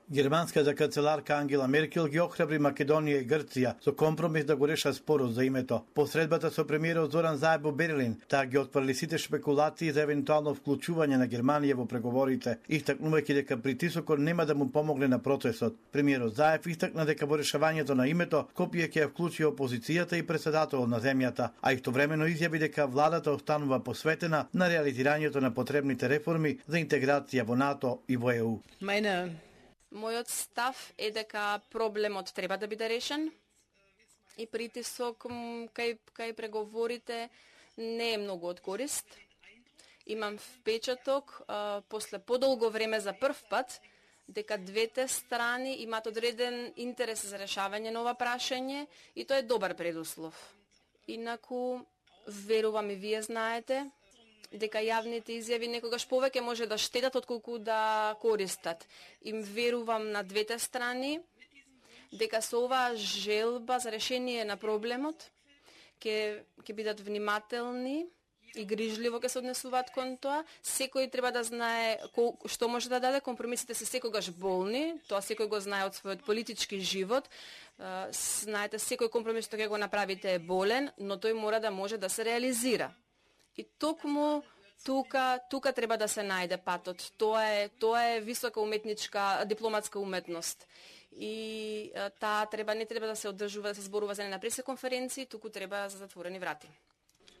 Германската канцеларка Ангела Меркел ги охрабри Македонија и Грција со компромис да го решат спорот за името. Посредбата со премиерот Зоран Заев во Берлин, таа ги отфрли сите шпекулации за евентуално вклучување на Германија во преговорите, истакнувајќи дека притисокот нема да му помогне на процесот. Премиерот Заев истакна дека во решавањето на името Скопје ќе вклучи опозицијата и претседателот на земјата, а истовремено изјави дека владата останува посветена на реализирањето на потребните реформи за интеграција во НАТО и во ЕУ. Мојот став е дека проблемот треба да биде решен и притисок кај преговорите не е многу од корист. Имам впечаток, после подолго време за прв пат, дека двете страни имаат одреден интерес за решавање на ова прашање и тоа е добар предуслов. Инаку, верувам и вие знаете, дека јавните изјави некогаш повеќе може да штетат отколку да користат. Им верувам на двете страни дека со оваа желба за решение на проблемот ќе бидат внимателни и грижливо ќе се однесуваат кон тоа. Секој треба да знае што може да даде. Компромисите се секогаш болни, тоа секој го знае од својот политички живот. Знаете, секој компромис што ќе го направите е болен, но тој мора да може да се реализира. И токму тука треба да се најде патот. Тоа е висока уметничка, дипломатска уметност. И таа не треба да се одржува, да се зборува за на пресеконференции, туку треба за затворени врати.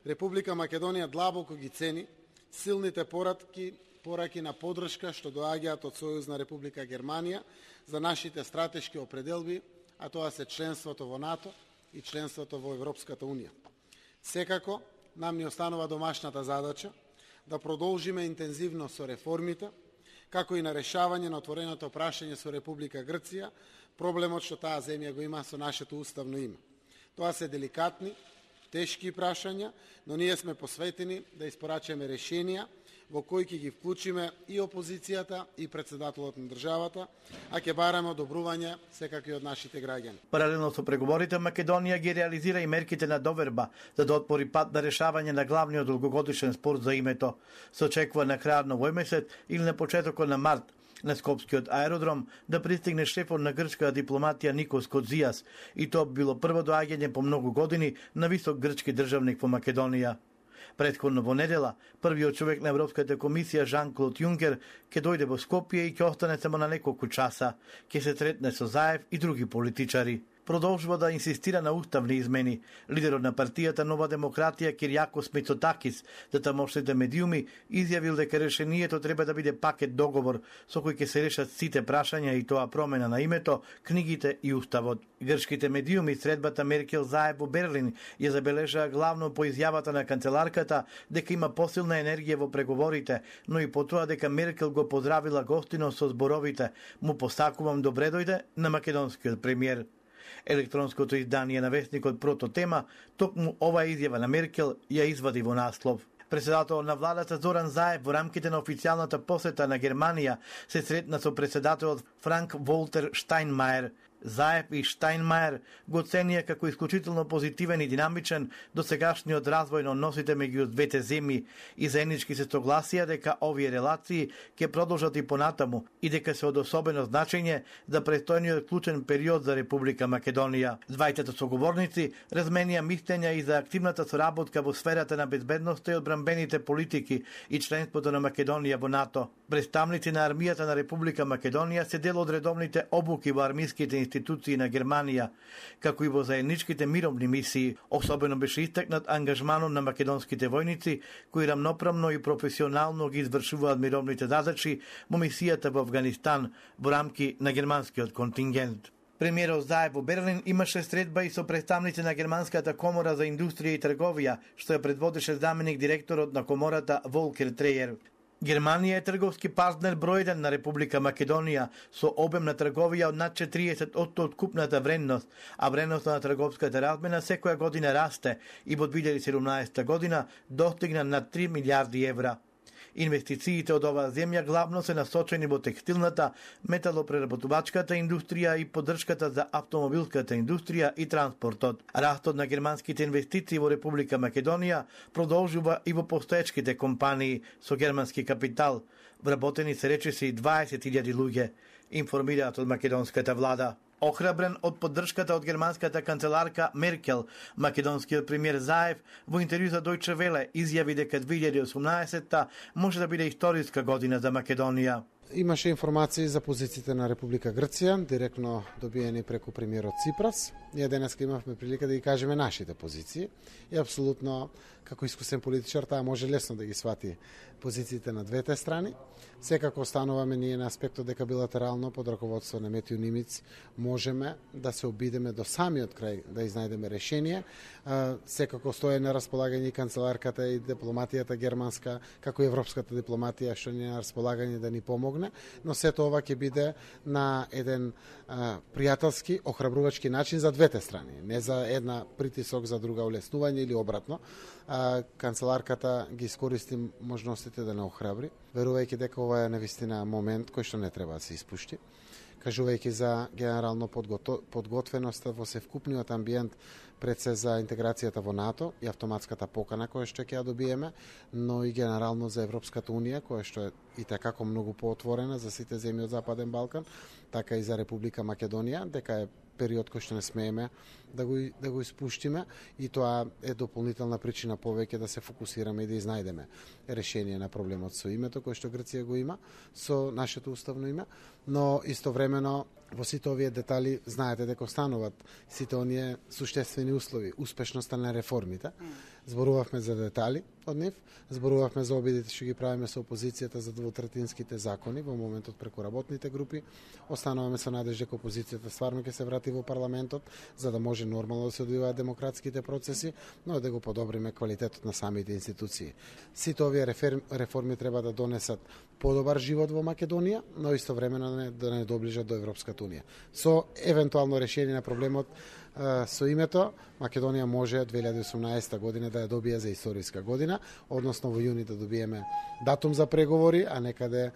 Република Македонија длабоко ги цени силните пораки на поддршка што доаѓаат од Сојузна Република Германија за нашите стратешки определби, а тоа се членството во НАТО и членството во Европската Унија. Секако, нам ни останува домашната задача да продолжиме интензивно со реформите, како и на решавање на отвореното прашање со Република Грција, проблемот што таа земја го има со нашето уставно име. Тоа се деликатни, тешки прашања, но ние сме посветени да испорачаме решенија во кои ќе ги вклучиме и опозицијата и претседателот на државата, а ќе бараме одобрување секако и од нашите граѓани. Паралелно со преговорите, Македонија ги реализира и мерките на доверба за да отвори пат на решавање на главниот долгогодишен спор за името. Се очекува на крајот на овој месец или на почетокот на март на Скопскиот аеродром да пристигне шефот на грчка дипломатија Никос Кодзијас, и тоа било прво доаѓање по многу години на висок грчки државник во Македонија. Претходно во недела, првиот човек на Европската комисија Жан-Клод Јункер ќе дојде во Скопје и ќе остане само на неколку часа. Ќе се третне со Заев и други политичари. Продолжува да инсистира на уставни измени. Лидерот на партијата Нова демократија Киријакос Мицотакис, за тамошните медиуми, изјавил дека решението треба да биде пакет договор со кој ќе се решат сите прашања, и тоа промена на името, книгите и уставот. Грчките медиуми средбата Меркел Заев во Берлин ја забележаа главно по изјавата на канцеларката дека има посилна енергија во преговорите, но и по тоа дека Меркел го поздравила гостино со зборовите "Му посакувам добре дојде" на македонскиот премиер. Електронското издание на вестникот Прототема токму оваа изјава на Меркел ја извади во наслов. Председател на владата Зоран Заев во рамките на официјалната посета на Германија се сретна со председателот Франк Волтер Штајнмајер. Заев и Штајнмајер го оценија како исклучително позитивен и динамичен досегашниот развој на односите меѓу двете земји и заеднички се согласија дека овие релации ќе продолжат и понатаму и дека се од особено значење за престојниот клучен период за Република Македонија. Двајцата соговорници разменија мислења и за активната соработка во сферата на безбедноста и одбранбените политики и членството на Македонија во НАТО. Представници на армијата на Република Македонија се дел од редовните обуки во армиските институции на Германија, како и во заедничките мировни мисии. Особено беше истакнат ангажманот на македонските војници, кои рамноправно и професионално ги извршуваат мировните задачи во мисијата во Авганистан во рамки на германскиот контингент. Премиерот Заев во Берлин имаше средба и со представници на Германската комора за индустрија и трговија, што ја предводеше заменик директорот на комората Волкер Трејер. Германија е трговски партнер број 1 на Република Македонија со обем на трговија од над 40% од купната вредност, а вредноста на трговската размена секоја година расте и во 2017 година достигна над 3 милиарди евра. Инвестициите од оваа земја главно се насочени во текстилната, металопреработувачката индустрија и поддршката за автомобилската индустрија и транспортот. Растот на германските инвестиции во Република Македонија продолжува и во постоечките компании со германски капитал. Вработени се речиси 20.000 луѓе. информираат од македонската влада. Охрабрен од поддршката од германската канцеларка Меркел, македонскиот премиер Заев во интервју за Deutsche Welle изјави дека 2018 може да биде историска година за Македонија. Имаше информации за позициите на Република Грција, директно добиени преку премиерот Ципрас. Ние денеска имавме прилика да ги кажеме нашите позиции и апсолутно, како искусен политичар, таа може лесно да ги свати позициите на двете страни. Секако остануваме ние на аспектот дека билатерално под раководство на Метју Нимиц можеме да се обидеме до самиот крај да изнајдеме решение. Секако стои на располагање и канцеларката и дипломатијата германска, како и европската дипломатија што ни е на располагање да ни помогне, но сето ова ќе биде на еден пријателски, охрабрувачки начин за двете страни, не за една притисок за друга улеснување или обратно. Канцеларката ги искористи можностите да не охрабри, верувајќи дека ова е навистина момент кој што не треба да се испушти, кажувајќи за генерално подготвеноста во севкупниот амбиент пред се за интеграцијата во НАТО и автоматската покана која што ќе ја добиеме, но и генерално за Европската Унија, која што е и така многу поотворена за сите земји од Западен Балкан, така и за Република Македонија, дека е период кој што не смееме да го испуштиме и тоа е дополнителна причина повеќе да се фокусираме и да изнајдеме решение на проблемот со името кој што Грција го има, со нашето уставно име, но истовремено во сите овие детали знаете дека остануваат сите оние суштествени услови, успешноста на реформите. Зборувавме за детали од нив, зборувавме за обидите што ги правиме со опозицијата за двотретинските закони во моментот преку работните групи. Остануваме со надеж дека опозицијата стварно ќе се врати во парламентот за да може нормално да се одвиваат демократските процеси, но да го подобриме квалитетот на самите институции. Сите овие реформи треба да донесат подобар живот во Македонија, но истовремено да не доближат до Европската Унија. Со евентуално решение на проблемот со името, Македонија може 2018 година да ја добие за историска година, односно во јуни да добиеме датум за преговори, а некаде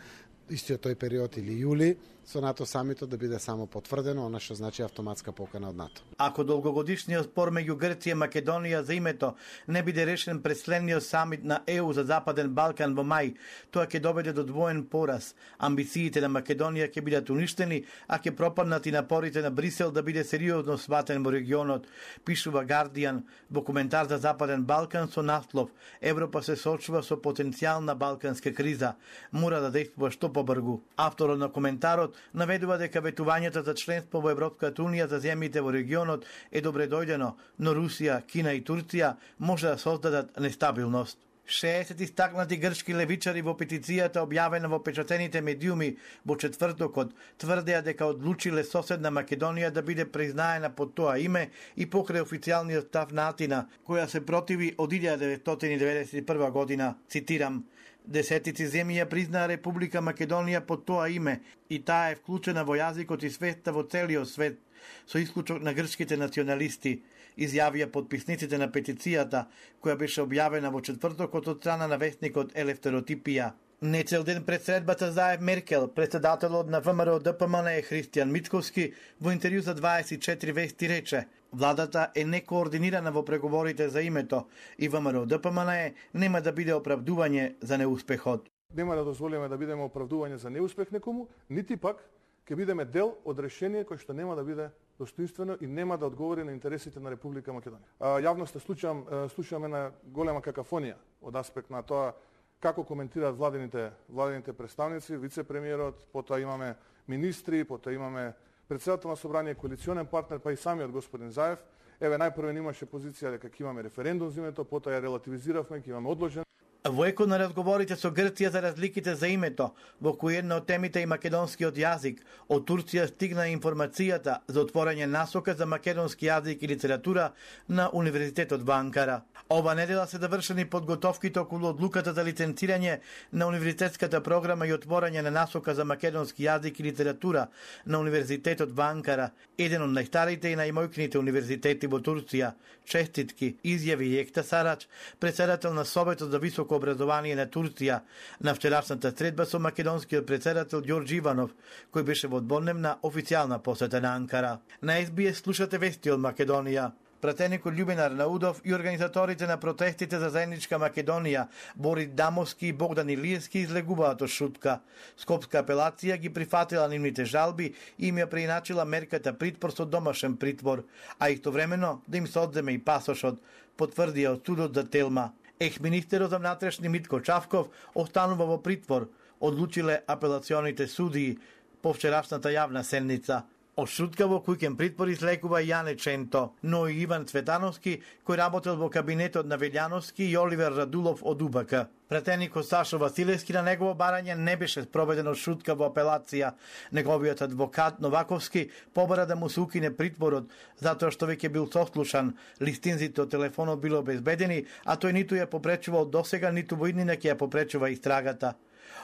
истиот тој период или јули со НАТО самитот да биде само потврдено, она што значи автоматска покана од НАТО. Ако долгогодишниот спор меѓу Грција и Македонија за името не биде решен пред следниот самит на ЕУ за Западен Балкан во мај, тоа ќе доведе до двоен пораз. Амбициите на Македонија ќе бидат уништени, а ќе пропаднат и напорите на Брисел да биде сериозно сватен во регионот, пишува Guardian во коментар за Западен Балкан со наслов Европа се соочува со потенцијална балканска криза, мора да действува што побрзо. Авторот на коментарот наведува дека ветувањето за членство во Европската Унија за земјите во регионот е добре дојдено, но Русија, Кина и Турција може да создадат нестабилност. 60 истакнати грчки левичари во петицијата објавена во печатените медиуми во четвртокот тврдеа дека одлучиле соседна Македонија да биде признаена под тоа име и покрај официјалниот став на Атина, која се противи од 1991 година, цитирам: Десетици земји ја признаа Република Македонија под тоа име и таа е вклучена во јазикот и свеста во целиот свет, со исклучок на грчките националисти, изјавија подписниците на петицијата, која беше објавена во четвртокот од страна на вестникот Елефтеротипија. Нецел ден пред средбата Заев Меркел, председателот на ВМРО ДПМН Христијан Мицковски во интервју за 24 вести рече: владата е некоординирана во преговорите за името и ВМРО ДПМН нема да биде оправдување за неуспехот. Нема да дозволиме да бидеме оправдување за неуспех некому, нити пак ќе бидеме дел од решение кој што нема да биде достоинствено и нема да одговори на интересите на Република Македонија. Јавноста слушаме на голема какафонија од аспект на тоа како коментираат владените представници, вице-премиерот, потоа имаме министри, потоа имаме председател на собрание, коалиционен партнер, па и самиот господин Заев. Еве најпрво имаше позиција дека ќе имаме референдум за името, потоа ја релативизиравме, ќе имаме одложен. Во екот на разговорите со Грција за разликите за името, во кој една од темите и македонскиот јазик, од Турција стигна информацијата за отворање насока за македонски јазик и литература на Универзитетот во Анкара. Ова недела се завршени подготовките околу одлуката за лиценцирање на универзитетската програма и отворање на насока за македонски јазик и литература на Универзитетот во Анкара, еден од најстарите и најмојкните универзитети во Турција. Честитки, изјави Екта Сарач, председател на Советот за високо образование на Турција, на вчерашната средба со македонскиот председател Ѓорџ Иванов, кој беше во дводневна официјална посета на Анкара. На СБС слушате вести од Македонија. Пратеникот Љубинар Наудов и организаторите на протестите за заедничка Македонија, Борис Дамовски и Богдан Илиевски, излегуваат од шутка. Скопска апелација ги прифатила нивните жалби и им ја преиначила мерката притвор со домашен притвор, а истовремено да им се одземе и пасошот, потврдија од судот за Телма. Екс-министерот за внатрешни Митко Чавков останува во притвор, одлучиле апелационите судии по вчерашната јавна седница. Од шутка во куќен притвор излекува Јане Ченто, но и Иван Цветановски, кој работел во кабинетот на Велјановски, и Оливер Радулов од УБК. Пратеникот Сашо Василевски на негово барање не беше спроведено шутка во апелација. Неговиот адвокат Новаковски побара да му се укине притворот, затоа што веќе бил сослушан, листинзите од телефонот било обезбедени, а тој ниту ја попречувал досега, ниту во иднина ќе ја попречува истрагата.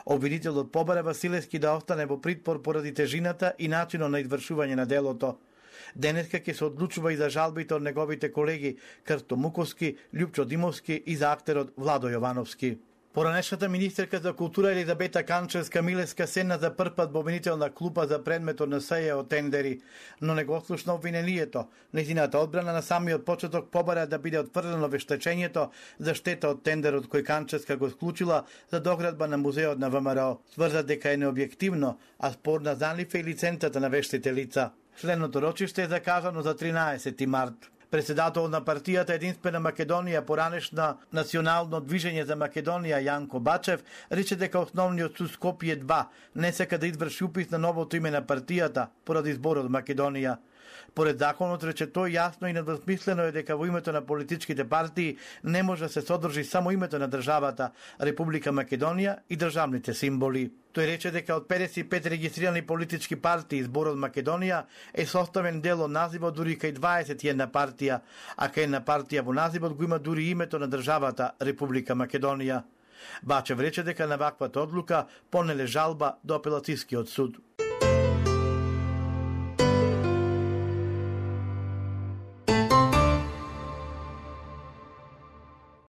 Обвинителот побара Василевски да остане во притвор поради тежината и начинот на извршување на делото. Денеска ќе се одлучува и за жалбите од неговите колеги Крсто Муковски, Љупчо Димовски и за актерот Владо Јовановски. Поранешната министерка за култура Елизабета Канчевска-Милевска седна за прв пат во обвинителна клупа за предметот на СЈ од тендери, но не го слушна обвинението. Нејзината одбрана на самиот почеток побара да биде отфрлено вештачењето за штета од тендерот кој Канчевска го склучила за доградба на музеот на ВМРО. Сврза дека е необјективно, а спорна за нив е лиценцата на вештите лица. Следното рочиште е закажано за 13 март. Председател на партијата Единствена Македонија, поранешна Национално движење за Македонија Јанко Бачев, рече дека основниот суд Скопје 2 не сака да изврши упис на новото име на партијата поради зборот Македонија. Поред законот, рече тој, јасно и недвосмислено е дека во името на политичките партии не може да се содржи само името на државата, Република Македонија и државните символи. Тој рече дека од 55 регистрирани политички партии зборот Македонија е составен дел од називот дури кај 21 партија, а кај една партија во називот го има дури името на државата Република Македонија. Бачев рече дека на ваквата одлука понеле жалба до апелацијскиот суд.